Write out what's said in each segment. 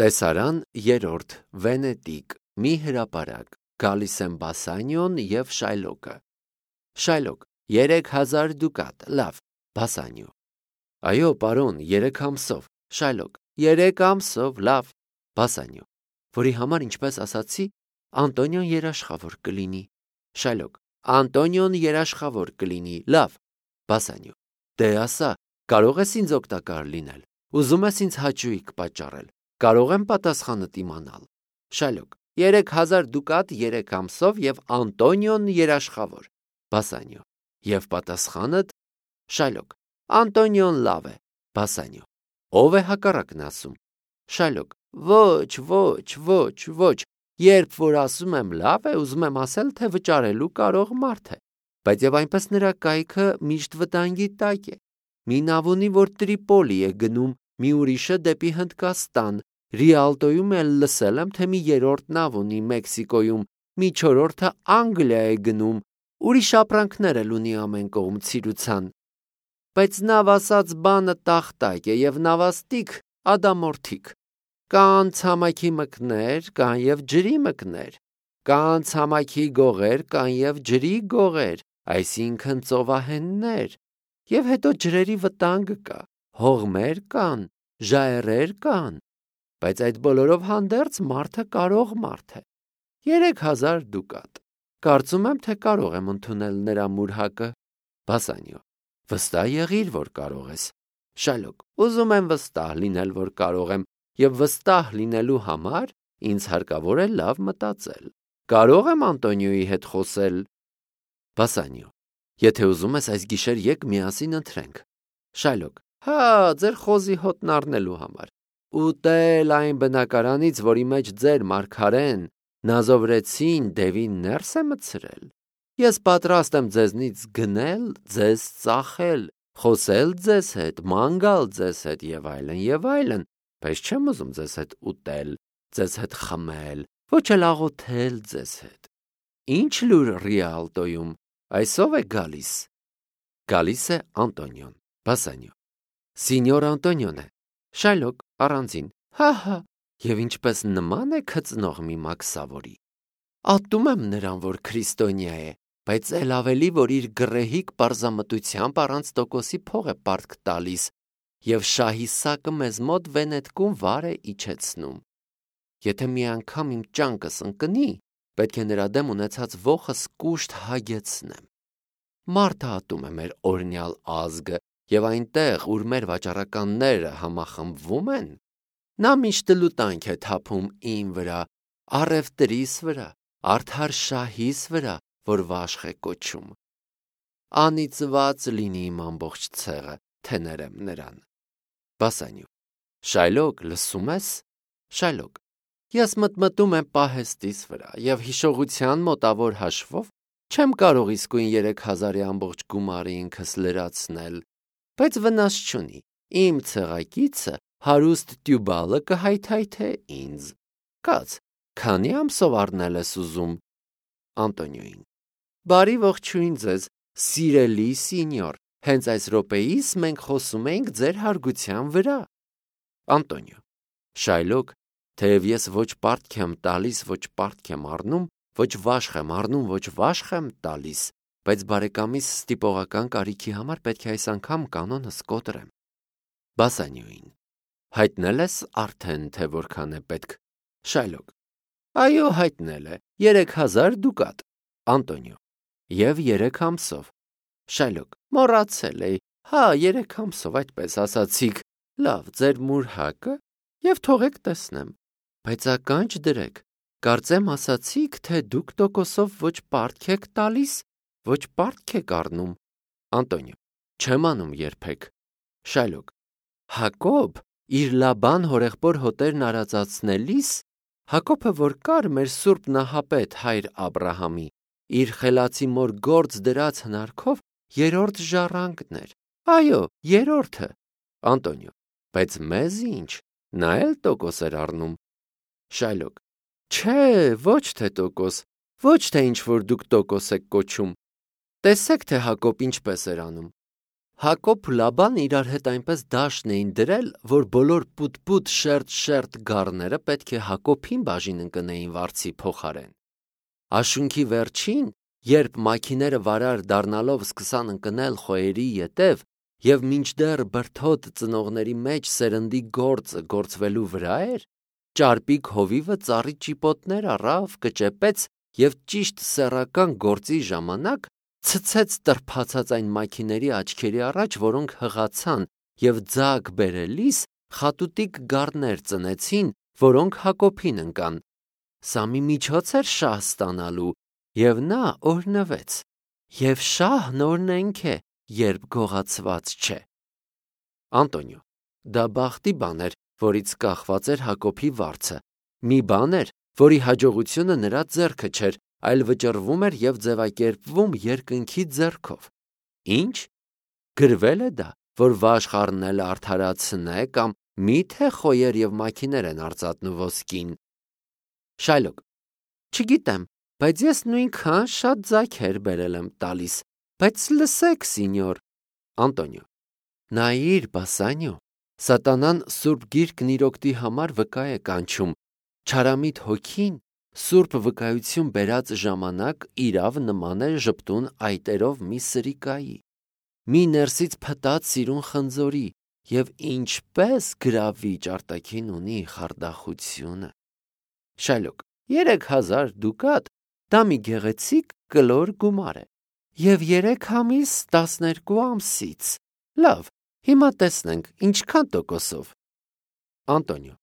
Տեսարան երրորդ Վենետիկ մի հրապարակ գալիս են Բասանիոն և Շայլոկը։ Շայլոկ 3000 դուկատ, լավ, Բասանիո. այո, պարոն, 3 ամսով։ Շայլոկ 3 ամսով, լավ, Բասանիո, որի համար, ինչպես ասացի, Անտոնիոն երաշխավոր կլինի։ Շայլոկ Անտոնիոն երաշխավոր կլինի, լավ, Բասանիո, դե ասա, կարող ես ինձ օգտակար լինել, ուզում ես ինձ հաճույք պատճառել, կարող եմ պատասխանդ իմանալ։ Շայլոկ 3000 դուկատ 3 ամսով և Անտոնիոն երաշխավոր։ Բասանիո և պատասխանդ։ Շայլոկ Անտոնիոն լավ է։ Բասանիո ով է հակառակն ասում։ Շայլոկ ոչ, երբ որ ասում եմ լավ է, ուզում եմ ասել, թե վճարելու կարող մարդ է, բայց եւ այնպես նրա կայքը միշտ վտանգի տակ է։ Մի նավ ունի, որ Տրիպոլի է գնում, մի ուրիշը դեպի Հնդկաստան, Ռիալտոյում էլ լսել եմ, թե մի երրորդ նավ ունի Մեքսիկոյում, մի չորրորդը Անգլիա է գնում, ուրիշ ապրանքներ էլ ունի ամեն կողմ ցիրուցան։ Բայց նավ ասած բանը տախտակ է եւ նավաստիկ ադամորդիկ։ Կան ցամաքի մկներ, կան եւ ջրի մկներ, կան ցամաքի գողեր, կան եւ ջրի գողեր, այսինքն ծովահեններ, եւ հետո ջրերի վտանգ կա, հողմեր կան, ժայռեր կան, բայց այդ բոլորով հանդերձ մարդը կարող մարդ է։ 3000 դուկատ, կարծում եմ, թե կարող եմ ընդունել նրա մուրհակը։ Բասանիո վստահ եղիր, որ կարող ես։ Շայլոկ ուզում եմ վստահ լինել, որ կարող եմ, եւ վստահ լինելու համար ինձ հարկավոր է լավ մտածել։ Կարող եմ Անտոնիոյի հետ խոսել։ Բասանիո եթե ուզում ես այս գիշեր եկ միասին ընթրենք։ Շայլոկ հա, ձեր խոզի հոտն առնելու համար։ Ուտել այն բնակարանից, որի մեջ ձեր մարգարեն Նազովրեցին Դևին ներս է մտցրել։ Ես պատրաստ եմ ձեզնից գնել, ձեզ ծախել, խոսել ձեզ հետ, ման գալ ձեզ հետ եւ այլն, բայց չեմ ուզում ձեզ հետ ուտել, ձեզ հետ խմել, ոչ էլ աղոթել ձեզ հետ։ Ինչ լուր Ռիալտոյում, այսով է գալիս։ Գալիս է Անտոնիոն։ Բասանիո Սինյոր Անտոնիոն է։ Շայլոկ առանձին, հա, եւ ինչպես նման է քծնող մի մաքսավորի։ Ատում եմ նրան, որ քրիստոնյա է, բայց էլ ավելի, որ իր գռեհիկ պարզամտությամբ առանց տոկոսի փող է պարտք տալիս եւ շահի սակը մեզ մոտ Վենետկում վար է իջեցնում։ Եթե մի անգամ իմ ճանկս ընկնի, պետք է նրա դեմ ունեցած ոխս կուշտ հագեցնեմ։ Մարդը ատում է մեր օրնյալ ազգը եւ այնտեղ, ուր մեր վաճառականները համախմբվում են, նա միշտ լուտանք է թափում իմ վրա, առևտրիս վրա, արդար շահիս վրա, որ վաշխ է կոչում։ Անիծված լինի իմ ամբողջ ցեղը, թե ներեմ նրան։ Բասանիո Շայլոկ, լսում ես։ Շայլոկ ես մտմտում եմ պահեստիս վրա եւ հիշողության մոտավոր հաշվով չեմ կարող իսկույն 3000-ի ամբողջ գումարը ինքս լրացնել, բայց վնաս չունի, իմ ցեղակիցը հարուստ Տյուբալը կհայթայթե ինձ։ Կաց, քանի ամսով առնել ես ուզում։ Անտոնիոին բարի ողջույն ձեզ, սիրելի սինյոր, հենց այս րոպեիս մենք խոսում ենք ձեր հարգության վրա։ Անտոնիո Շայլոկ, թեև ես ոչ պարտք եմ տալիս, ոչ պարտք եմ առնում, ոչ վաշխ եմ առնում, ոչ վաշխ եմ տալիս, բայց բարեկամիս ստիպողական կարիքի համար պետք է այս անգամ կանոնս կոտրեմ։ Բասանիոին հայտնել ես արդեն, թե որքան է պետք։ Շայլոկ այո, հայտնել է 3000 դուկատ։ Անտոնիո եւ 3 ամսով։ Շայլոկ մոռացել էի, հա, 3 ամսով, այդպես ասացիք։ Լավ, ձեր մուրհակը եւ թողեք տեսնեմ, բայց ականջ դրեք, կարծեմ ասացիք, թե դուք տոկոսով ոչ պարտք եք տալիս, ոչ պարտք եք առնում։ Անտոնիո չեմ անում երբեք։ Շայլոկ Հակոբ իր Լաբան հորեղբոր հոտերն արածացնելիս, Հակոբը որ կար մեր սուրբ նահապետ հայր Աբրահամի, իր խելացի մոր գործ դրած հնարքով երրորդ ժառանգն էր։ Այո, երրորդը։ Անտոնիո բայց մեզ ինչ, նա էլ տոկոս էր առնում։ Շայլոկ չէ, ոչ թե տոկոս, ոչ թե ինչ որ դուք տոկոս եք կոչում։ Տեսեք, թե Հակոբ ինչպես էր անում։ Հակոբն ու Լաբան իրար հետ այնպես դաշն էին դրել, որ բոլոր պուտ-պուտ, շերտ-շերտ գառները պետք է Հակոբին բաժին ընկնեին վարձի փոխարեն։ Աշունքի վերջին, երբ մաքիները վարար դառնալով սկսան ընկնել խոյերի ետև, եւ մինչդեռ բրդոտ ծնողների մեջ սերնդի գործը գործվելու վրա էր, ճարպիկ հովիվը ծառի ճիպոտներ առավ, կճեպեց եւ ճիշտ սեռական գործի ժամանակ ցցեց տրփացած այն մաքիների աչքերի առաջ, որոնք հղացան եւ ձագ բերելիս խատուտիկ գառներ ծնեցին, որոնք Հակոբին ընկան։ Սա մի միջոց էր շահ ստանալու, եւ նա օրհնվեց։ Եվ շահն օրհնենք է, երբ գողացված չէ։ Անտոնիո, դա բախտի բան էր, որից կախված էր Հակոբի վարձը։ Մի բան էր, որի հաջողությունը նրա ձեռքը չէր, այլ վճռվում էր եւ ձևակերպվում երկնքի ձեռքով։ Ինչ? Գրվել է դա, որ վաշխառն էլ արդարացնե կամ միթե խոյեր եւ մաքիներ են արծաթն ու ոսկին։ Շայլոկ, չգիտեմ, բայց ես նույնքան շատ ձագեր բերել եմ տալիս, բայց լսեք, սինյոր։ Անտոնիո, նայիր, Բասանյո, սատանան սուրբ գիրքն իր օգտի համար վկա է կանչում, չարամիտ հոգին սուրբ վկայություն բերած ժամանակ իրավ նման է ժպտուն այտերով մի սրիկայի, մի ներսից փտած սիրուն խնձորի եւ ինչպես գրավիչ արտաքին ունի խարդախությունը։ Շայլոկ, 3000 դուկատ, դա մի գեղեցիկ կլոր գումար է, եւ 3 ամիս 12 ամսից։ Լավ, հիմա տեսնենք ինչքան տոկոսով։ Անտոնիո,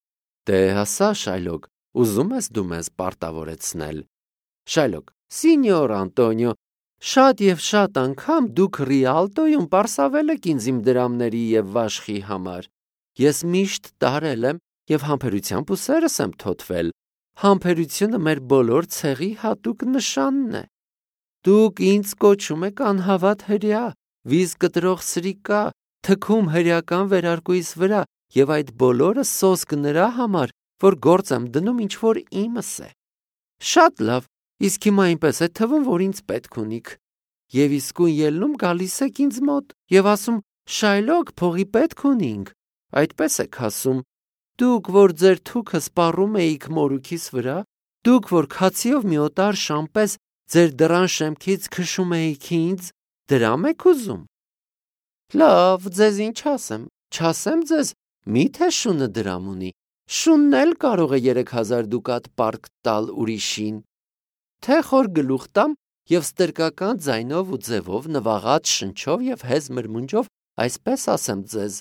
դե հասա, Շայլոկ, ուզում ես դու մեզ պարտավորեցնել։ Շայլոկ, Սինյոր Անտոնիո, շատ եւ շատ անգամ դուք Ռիալտոյում պարսավել եք ինձ իմ դրամների եւ վաշխի համար։ Ես միշտ տարել եմ եւ համբերությամբ ու սերս եմ թոթվել։ Համբերությունը մեր բոլոր ցեղի հատուկ նշանն է։ Դուք ինձ կոչում եք անհավատ հրյա, վիզ կտրող սրիկա, թքում հրյական վերարկուիս վրա եւ այդ բոլորը սոսկ նրա համար, որ գործ եմ դնում ինչ որ իմս է։ Շատ լավ, իսկ հիմա այնպես է թվում, որ ինձ պետք ունիք։ Եվ իսկույն ելնում գալիս եք ինձ մոտ եւ ասում. Շայլոկ, փողի պետք ունինք։ Այդպես եք ասում։ Դուք, որ ձեր թուքը սպառում էիք մորուքիս վրա, դուք, որ քացիով մի օտար շամպես ձեր դռան շեմքից քշում էիք ինձ, դրամ եք ուզում։ Լավ, ձեզ ինչ ասեմ, չասեմ ձեզ, միթե շունը դրամ ունի, շունն էլ կարող է 3000 դուկատ պարկ տալ ուրիշին, թե խոր գլուխ տամ եւ ստրկական ձայնով ու ձևով, նվաղած շնչով եւ հեզ մրմունջով այսպես ասեմ ձեզ.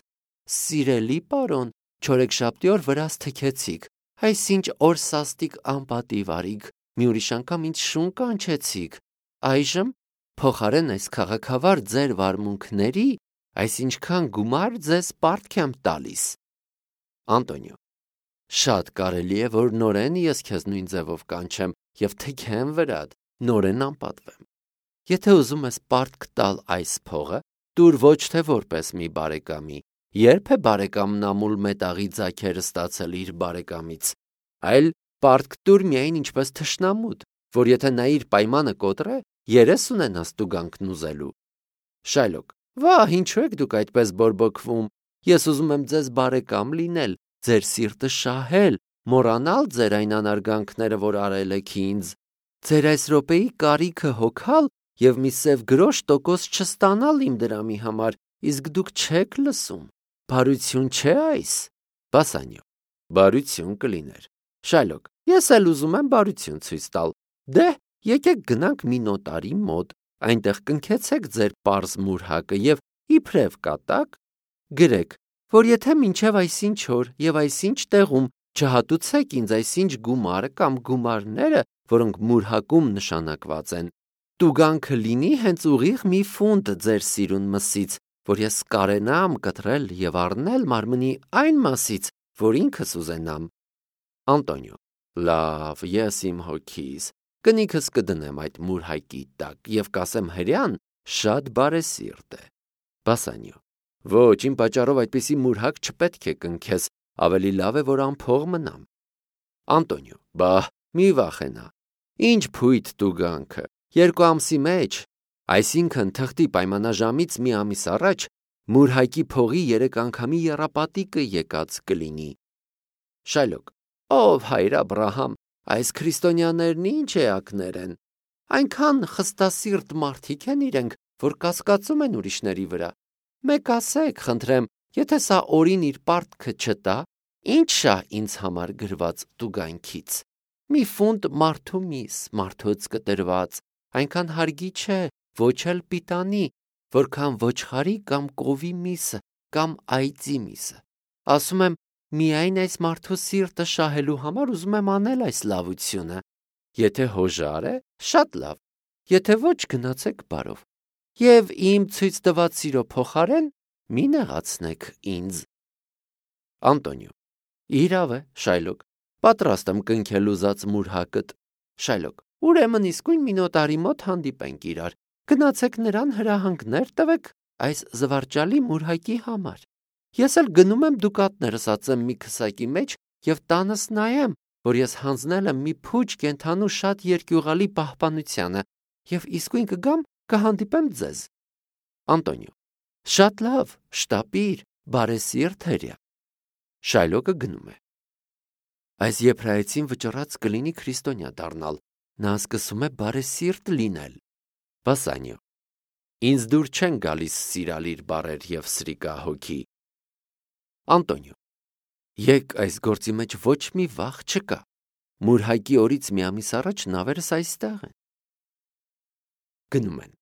սիրելի պարոն, չորեքշաբթի օր վրաս թքեցիք, այսինչ օր սաստիկ անպատիվ արիք, մի ուրիշ անգամ ինձ շուն կանչեցիք, այժմ փոխարեն այս քաղաքավար ձեր վարմունքների, այսինչքան գումար ձեզ պարտք եմ տալիս։ Անտոնիո, շատ կարելի է, որ նորեն ես քեզ նույն ձևով կանչեմ եւ թքեմ վրադ, նորեն անպատվեմ։ Եթե ուզում ես պարտք տալ այս փողը, տուր ոչ թե որպես մի բարեկամի, երբ է բարեկամն ամուլ մետաղի ձագերը ստացել իր բարեկամից, այլ պարտք տուր միայն ինչպես թշնամուտ, որ եթե նա իր պայմանը կոտրե, 30 ունենաս տուգանքն ուզելու։ Շայլոկ, վահ, ինչու եք դուք այդպես բորբոքվում, ես ուզում եմ ձեզ բարեկամ լինել, ձեր սիրտը շահել, մոռանալ ձեր այն անարգանքները, որ արել եք ինձ, ձեր այս րոպեի կարիքը հոգալ եւ մի սև գրոշ տոկոս չստանալ իմ դրամի համար, իսկ դուք չեք լսում, բարություն չէ այս։ Բասանյո, բարություն կլիներ։ Շայլոկ, ես էլ ուզում եմ բարություն ցույց տալ, դե, եկեք գնանք մի նոտարի մոտ, այնտեղ կնքեցեք ձեր պարզ մուրհակը եւ իբրև կատակ գրեք, որ եթե մինչև այսինչ օր եւ այսինչ տեղում չհատուցեք ինձ այսինչ գումարը կամ գումարները, որոնք մուրհակում նշանակված են, տուգանքը լինի հենց ուղիղ մի ֆունտ ձեր սիրուն մսից, որ ես կարենամ կտրել եւ առնել մարմնի այն մասից, որ ինքս ուզենամ։ Անտոնիո, լավ, ես իմ հոգիս կնիքս կդնեմ այդ մուրհակի տակ եւ կասեմ հրյան շատ բարեսիրտ է։ Բասանյո, ոչ, իմ պատճառով այդպիսի մուրհակ չպետք է կնքես, ավելի լավ է, որ անփող մնամ։ Անտոնիո, բահ, մի վախենա, ինչ փույթ տուգանքը, 2 ամսի մեջ, այսինքն թղթի պայմանաժամից մի ամիս առաջ Մուրհակի փողի 3 անգամի եռապատիկը եկած կլինի։ Շայլոք. Ով հայր Աբրահամ, այս քրիստոնյաներն ինչ էակներ են։ Այնքան խստասիրտ մարդիկ են իրենք, որ կասկածում են ուրիշների վրա։ Մեկ ասեք, խնդրեմ, եթե սա օրին իր պարտքը չտա, ինչ շա ինձ համար գրված տուգանքից։ Մի ֆունտ մարդու միս, մարդուց կտրված, այնքան հարգի չէ, ոչ էլ պիտանի, որքան ոչխարի կամ կովի միսը կամ այծի միսը։ Ասում եմ, միայն այս մարդու սիրտը շահելու համար ուզում եմ անել այս լավությունը։ Եթե հոժար է, շատ լավ, եթե ոչ, գնացեք բարով։ Եվ իմ ցույց տված սիրո փոխարեն մի նեղացնեք ինձ։ Անտոնիո. Իրավ է, Շայլոք, պատրաստ եմ կնքել ուզած մուրհակըտ։ Շայլոք. ուրեմն իսկույն մի նոտարի մոտ հանդիպենք իրար, գնացեք նրան հրահանգներ տվեք այս զվարճալի մուրհակի համար։ Ես էլ գնում եմ դուկատներս ածեմ մի քսակի մեջ եւ տանս նայեմ, որ ես հանձնել եմ մի փուչ կենթանու շատ երկյուղալի պահպանությանը եւ իսկույն կգամ կհանդիպեմ ձեզ։ Անտոնիո. շատ լավ, շտապիր, բարեսիրտ հրեա։ Շայլոկը գնում է։ Այս եբրայեցին վճռած կլինի քրիստոնյա դառնալ, նա սկսում է բարեսիրտ լինել։ Բասանիո. ինձ դուր չեն գալիս սիրալիր բառեր եւ սրիկա հոգի։ Անտոնիո. եկ այս գործի մեջ ոչ մի վախ չկա։ Մուրհակի օրից մի ամիս առաջ նավերս այստեղ են։ Գնում են։